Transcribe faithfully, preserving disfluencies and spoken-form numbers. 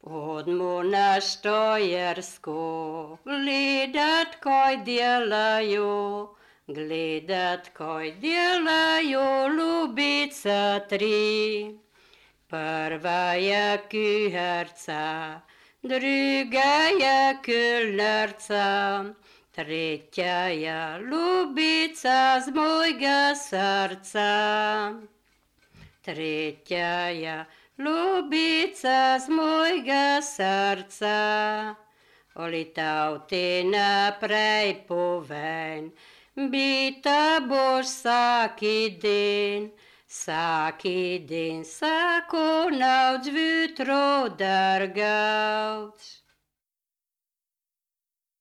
Od monaštojersko gledat, kaj delajo, gledat, kaj delajo Ljubica tri. Prva je kuharca, druga je kelnerca, tretja je Ljubica z mojega srca. Tretja je Ljubica z mojega srca. Olitav ti naprej povem, bita boš vsaki den, vsaki den, vsako noč vjutro drgavč.